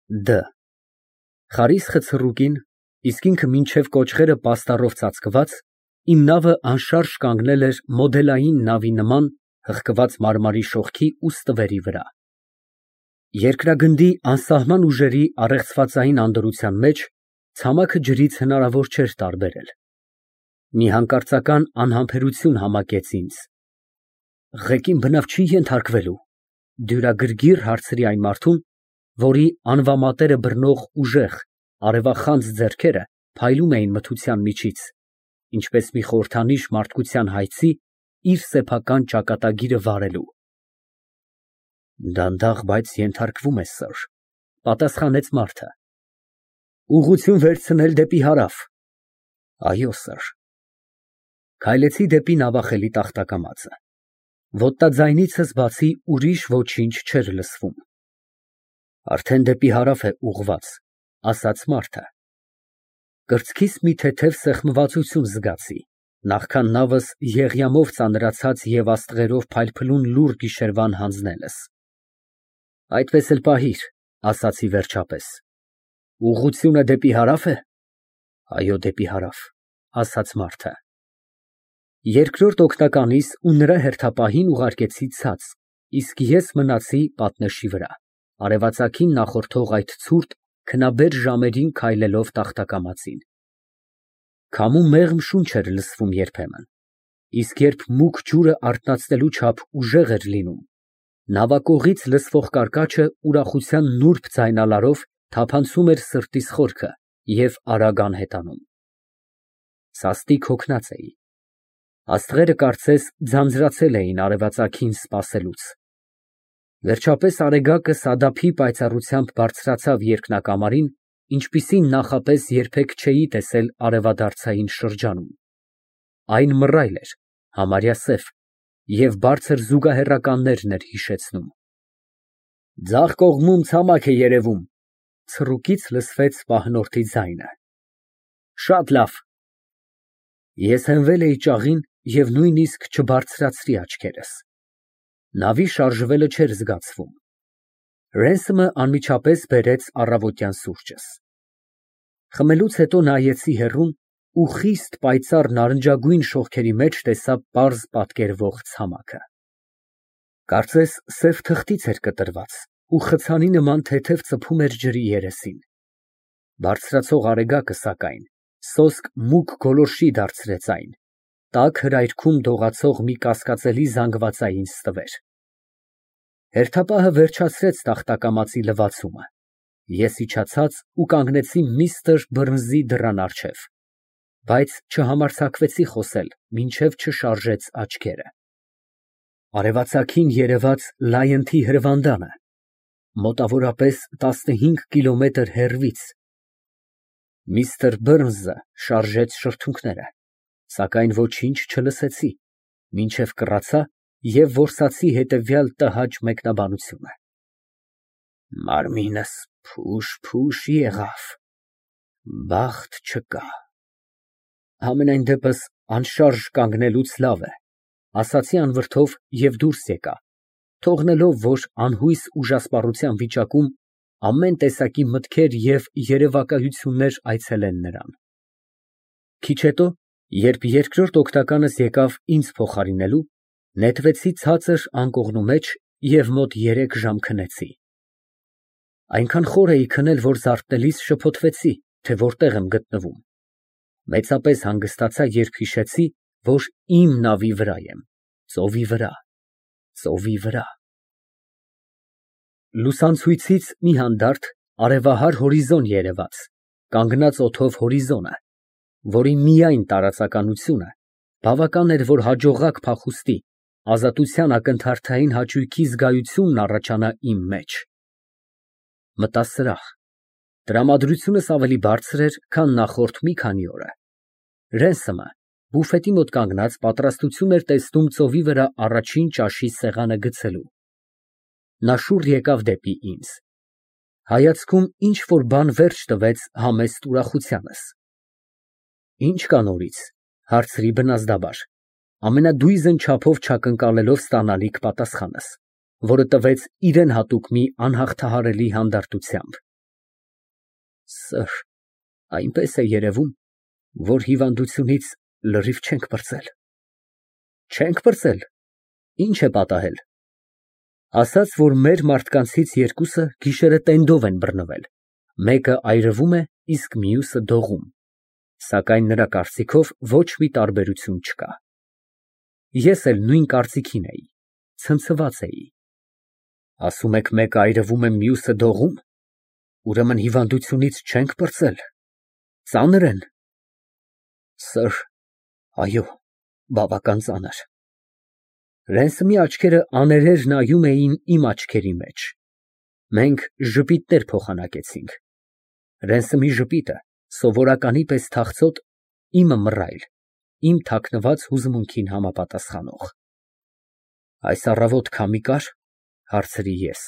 Դ Խարիսխը ցռուկին, իսկ ինքը մինչև կոճղերը պաստառով ծածկված, իմ նավը անշարժ կանգնել էր մոդելային նավի նման հղկված մարմարի շողքի ու ստվերի վրա։ Երկրագնդի անսահման ուժերի առեղծվածային անդորրության մեջ ցամաքը ջրից հնարավոր չէր տարբերել։ Մի հանկարծական անհամբերություն համակեց ինձ։ Ղեկին բնավ չի ենթարկվելու, դյուրագրգիռ հարցրի այն մարդուն, որի անվամատերը բռնող ուժեղ, արևախանձ ձեռքերը փայլում էին մթության միջից, ինչպես մի խորհրդանիշ մարդկության հայցի իր սեփական ճակատագիրը վարելու։ Դանդաղ, բայց ենթարկվում ես, սըր, պատասխանեց մարդը։ Ուղղություն վերցնել դեպի հարավ։ Այո, սըր։ Քայլեցի դեպի նավախելի տախտակամածը։ Ոտնաձայնիցս բացի ուրիշ ոչինչ չէր լսվում։ Արդեն դեպի հարավ է ուղղված, ասաց մարդը։ Կրծքիս մի թեթև սեղմվածություն զգացի, նախքան նավս եղյամով ծանրացած և աստղերով փայլփլուն լուռ գիշերվան հանձնելս։ Այդպես էլ պահիր, ասացի վերջապես։ Ուղղությունը դեպի հարավ է։ Այո, դեպի հարավ, ասաց մարդը։ Երկրորդ օգնականիս ու նրա հերթապահին ուղարկեցի ցած, իսկ ես մնացի պատնեշի վրա, արևածագին նախորդող այդ ցուրտ, քնաբեր ժամերին քայլելով տախտակամածին։ Քամու մեղմ շունչ էր լսվում երբեմն, իսկ երբ մուգ ջուրը արթնացնելու չափ ուժեղ էր լինում, նավակողից լսվող կարկաչը ուրախության նուրբ ձայնալարով թափանցում էր սրտիս խորքը և արագ անհետանում։ Սաստիկ հոգնած էի։ Աստղերը կարծես ձանձրացել էին արևածագին սպասելուց։ Վերջապես արեգակը սադափի պայծառությամբ բարձրացավ երկնակամարին, ինչպիսին նախապես երբեք չէի տեսել արևադարձային շրջանում։ Այն մռայլ էր, համարյա սև, և բարձր զուգահեռականներն էր հիշեցնում։ Ձախ կողմում ցամաք է երևում, ցռուկից լսվեց պահնորդի ձայնը։ Շատ լավ։ Ես հենվել էի ճաղին և նույնիսկ չբարձրացրի աչքերս։ Նավի շարժվելը չէր զգացվում։ Ռենսմը անմիջապես բերեց առավոտյան սուրճս։ Խմելուց հետո նայեցի հեռուն ու խիստ պայծառ նարնջագույն շողքերի մեջ տեսա պարզ պատկերվող ցամաքը։ Կարծես սև թղթից էր կտրված ու խցանի նման թեթև ծփում էր ջրի երեսին։ Բարձրացող արեգակը, սակայն, սոսկ մուգ գոլորշի դարձրեց այն, տաք հրայրքում դողացող մի կասկածելի զանգվածային ստվեր։ Հերթապահը վերջացրեց տախտակամածի լվացումը։ Ես իջացած ու կանգնեցի միստր Բըրնսի դռան առջև, բայց չհամարձակվեցի խոսել, մինչև չշարժեց աչքերը։ Արևածագին երևաց Լայընթի հրվանդանը, մոտավորապես 15 կիլոմետր հեռվից։ Միստր Բըրնսը շարժեց շրթունքները, սակայն ոչինչ չլսեցի, մինչև կռացա և որսացի հետևյալ տհաճ մեկնաբանությունը. Մարմինս փուշ եղավ, բախտ չկա։ Համենայն դեպս անշարժ կանգնելուց լավ է, ասացի անվրդով և դուրս եկա, թողնելով, որ անհույս ուժասպառության վիճակում ամեն տեսակի մտքեր և երևակայություններ այցելեն նրան։ Քիչ հետո, երբ երկրորդ օգնականս եկավ ինձ փոխարինելու, նետվեցի ցածր անկողնու մեջ և մոտ 3 ժամ քնեցի։ Այնքան խոր էի քնել, որ զարթնելիս շփոթվեցի, թե որտեղ եմ գտնվում։ Մեծապես հանգստացա, երբ հիշեցի, որ իմ նավի վրա եմ, ծովի վրա, ծովի վրա։ Լուսանցույցից մի հանդարտ արևահար հորիզոն երևաց, կանգնած օդով հորիզոնը, որի միայն տարածականությունը բավական էր, որ հաջողակ փախուստի, ազատության ակնթարթային հաճույքի զգայությունն առաջանա իմ մեջ։ Մտա սրահ։ Տրամադրությունս ավելի բարձր էր, քան նախորդ մի քանի օրը։ Ռենսմը բուֆետի մոտ կանգնած պատրաստություն էր տեսնում ծովի վրա առաջին ճաշի սեղանը գցելու։ Նա շուռ եկավ դեպի ինձ։ Հայացքում ինչ֊որ բան վերջ տվեց համեստ ուրախությանս։ Ի՞նչ կա նորից, հարցրի բնազդաբար, ամենադույզն չափով չակնկալելով ստանալիք պատասխանս, որը տվեց իրան հատուկ մի անհաղթահարելի հանդարտությամբ։ Սըր, այնպես է երևում, որ հիվանդությունից լրիվ չենք պրծել։ Չենք պրծել, ինչ է պատահել։ Ասաց, որ մեր մարդկանցից երկուսը գիշերը տենդով են բռնվել, մեկը այրվում է, իսկ մյուսը դողում, սակայն նրա կարծիքով ոչ մի տարբերություն չկա։ Ես էլ նույն կարծիքին էի, ցնցված էի։ Ասում եք մեկը այրվում է, մյուսը դողում, ուրեմն հիվանդությունից չենք պրծել, ծանր են։ Սըր, այո, բավական ծանր։ Ռենսմի աչքերը աներեր նայում էին իմ աչքերի մեջ։ Մենք ժպիտներ փոխանակեցինք։ Ռենսմի ժպիտը սովորականի պես թախծոտ, իմը մռայլ, իմ թաքնված հուզմունքին համապատասխանող։ Այս առավոտ քամի կա՞ր, հարցրի ես։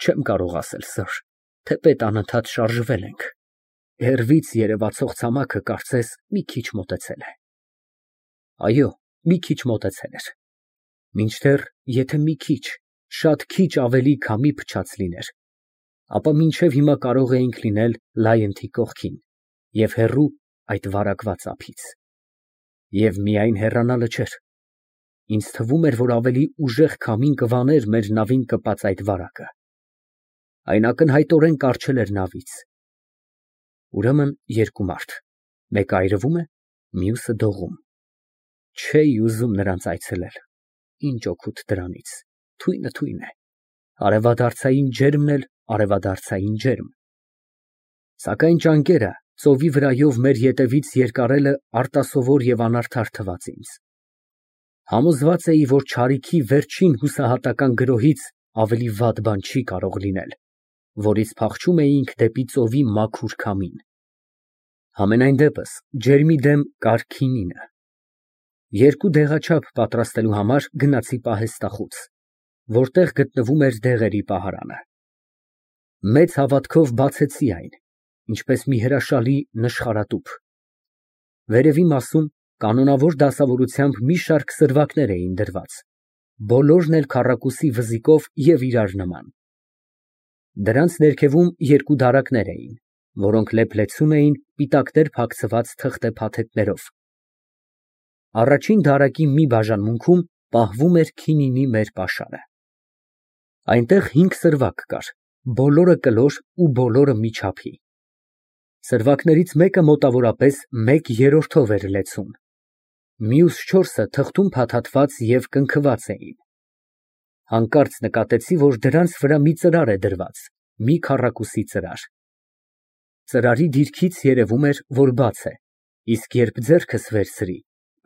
Չեմ կարող ասել, սըր, թեպետ անընդհատ շարժվել ենք։ Հեռվից երևացող ցամաքը կարծես մի քիչ մոտեցել է։ Այո, մի քիչ մոտեցել էր։ Մինչդեռ, եթե մի քիչ, շատ քիչ ավելի քամի փչած լիներ, ապա մինչև հիմա կարող էինք լինել Լայընթի կողքին և հեռու այդ վարակված ափից։ Եվ միայն հեռանալը չէր։ Ինձ թվում էր, որ ավելի ուժեղ քամին կվաներ մեր նավին կպած այդ վարակը։ Այն ակնհայտորեն կառչել էր նավից։ Ուրեմն երկու մարդ, մեկը այրվում է, մյուսը դողում։ Չէի ուզում նրանց այցելել։ Ինչ օգուտ դրանից, թույնը է, արևադարձային ջերմն էլ արևադարձային ջերմ։ Սակայն ճանկերը ծովի վրայով մեր ետևից երկարելը արտասովոր և անարդար թվաց ինձ։ Համոզված էի, որ չարիքի վերջին հուսահատական գրոհից ավելի վատ բան չի կարող լինել, որից փախչում էինք դեպի ծովի մաքուր քամին։ Համենայն դեպս ջերմի դեմ կար քինինը։ Երկու դեղաչափ պատրաստելու համար գնացի պահեստախուց, որտեղ գտնվում էր դեղերի պահարանը։ Մեծ հավատքով բացեցի այն, ինչպես մի հրաշալի նշխարատուփ։ Վերևի մասում կանոնավոր դասավորությամբ մի շարք սրվակներ էին դրված, բոլորն էլ քառակուսի վզիկով և իրար նման։ Դրանց ներքևում երկու դարակներ էին, որոնք լեփլեցուն էին պիտակներ փակցված թղթե փաթեթներով։ Առաջին դարակի մի բաժանմունքում պահվում էր քինինի մեր պաշարը։ Այնտեղ 5 սրվակ կար, բոլորը կլոր ու բոլորը մի չափի։ Սրվակներից մեկը մոտավորապես 1/3 էր լեցուն, մյուս 4-ը թղթում փաթաթված և կնքված էին։ Հանկարծ նկատեցի, որ դրանց վրա մի ծրար է դրված, մի քառակուսի ծրար։ Ծրարի դիրքից երևում էր, որ բաց է, իսկ երբ ձեռքս վերցրի,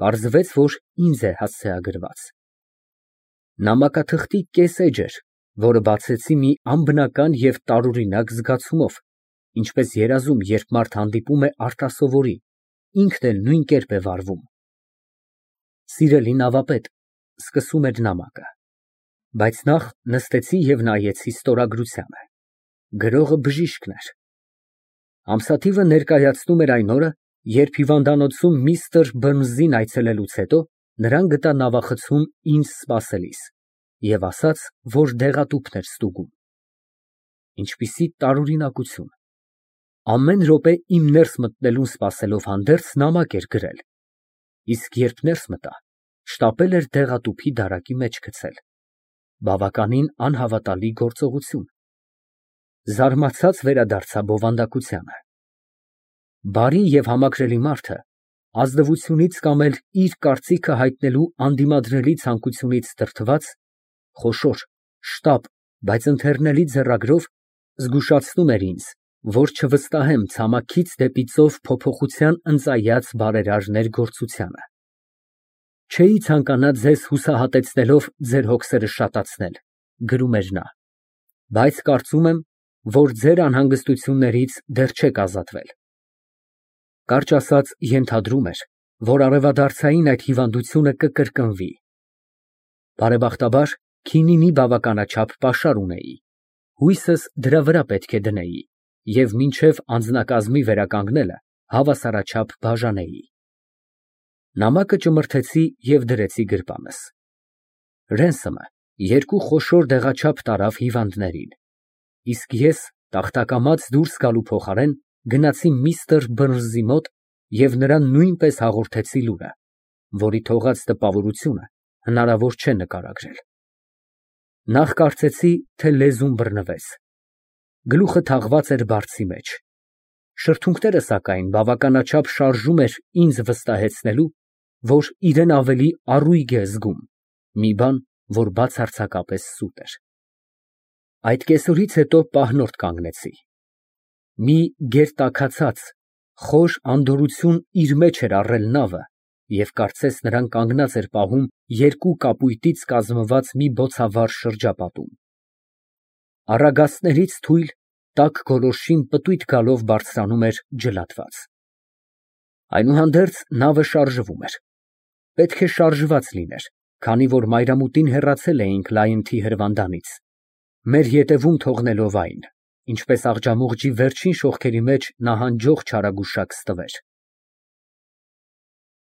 պարզվեց, որ ինձ է հասցեագրված։ Նամակաթղթի կես էջ էր, որը բացեցի մի անբնական և տարօրինակ զգացումով, ինչպես երազում, երբ մարդ հանդիպում է արտասովորի, ինքն էլ նույն կերպ է վարվում։ Սիրելի նավապետ, սկսում էր նամակը, բայց նախ նստեցի և նայեցի ստորագրությանը։ Գրողը բժիշկն էր։ Ամսաթիվը ներկայացնում էր այն օրը, երբ հիվանդանոցում միստր Բըրնսին այցելելուց հետո նրան գտա նավախցում ինձ սպասելիս և ասաց, որ դեղատուփն էր ստուգում։ Ինչպիսի տարօրինակություն։ Ամեն րոպե իմ ներս մտնելուն սպասելով հանդերձ նամակ էր գրել, իսկ երբ ներս մտա, շտապել էր դեղատուփի դարակի մեջ գցել։ Բավականին անհավատալի գործողություն։ Զարմացած վերադարձա բովանդակությանը։ Բարի և համակրելի մարդը ազնվությունից կամ էլ իր կարծիքը հայտնելու անդիմադրելի ցանկությունից դրդված, խոշոր, շտապ, բայց ընթեռնելի ձեռագրով զգուշացնում էր ինձ, որ չվստահեմ ցամաքից դեպի ծով փոփոխության ընծայած բարերար ներգործությանը։ Չէի ցանկանա ձեզ հուսահատեցնելով ձեր հոգսերը շատացնել, գրում էր նա, բայց կարծում եմ, որ ձեր անհանգստություններից դեռ չեք ազատվել։ Կարճ ասած, ենթադրում էր, որ արևադարձային այդ հիվանդությունը կկրկնվի։ Բարեբախտաբար, քինինի բավականաչափ պաշար ունեի, հույսս դրա վրա պետք է դնեի և մինչև անձնակազմի վերականգնելը հավասարաչափ բաժանեի։ Նամակը ճմրթեցի և դրեցի գրպանս։ Ռենսոմը երկու խոշոր դեղաչափ տարավ հիվանդներին, իսկ ես Տախտակամած դուրս գալու փոխարեն գնացի միստր Բըրնսի մոտ և նրան նույնպես հաղորդեցի լուրը, որի թողած տպավորությունը հնարավոր չէ նկարագրել։ Նախ կարծեցի, թե լեզուն բռնվեց, գլուխը թաղված էր բարձի մեջ, շրթունքները, սակայն, բավականաչափ շարժում էր ինձ վստահեցնելու, որ իրեն ավելի առույգ է զգում, մի բան, որ բացարձակապես սուտ էր։ Այդ կեսօրից հետո պահնորդ կանգնեցի։ Մի գերտաքացած, խոր անդորրություն իր մեջ էր առել նավը և կարծես նրան կանգնած էր պահում երկու կապույտից կազմված մի բոցավառ շրջապատում։ Առագաստներից թույլ, տաք գոլորշին պտույտ գալով բարձրանում էր ջլատված։ Այնուհանդերձ նավը շարժվում էր։ Պետք է շարժված լիներ, քանի որ մայրամուտին հեռացել էինք Լայնթի հրվանդանից, մեր ետևում թողնելով այն, ինչպես աղջամուղջի վերջին շողքերի մեջ նահանջող չարագուշակ ստվեր։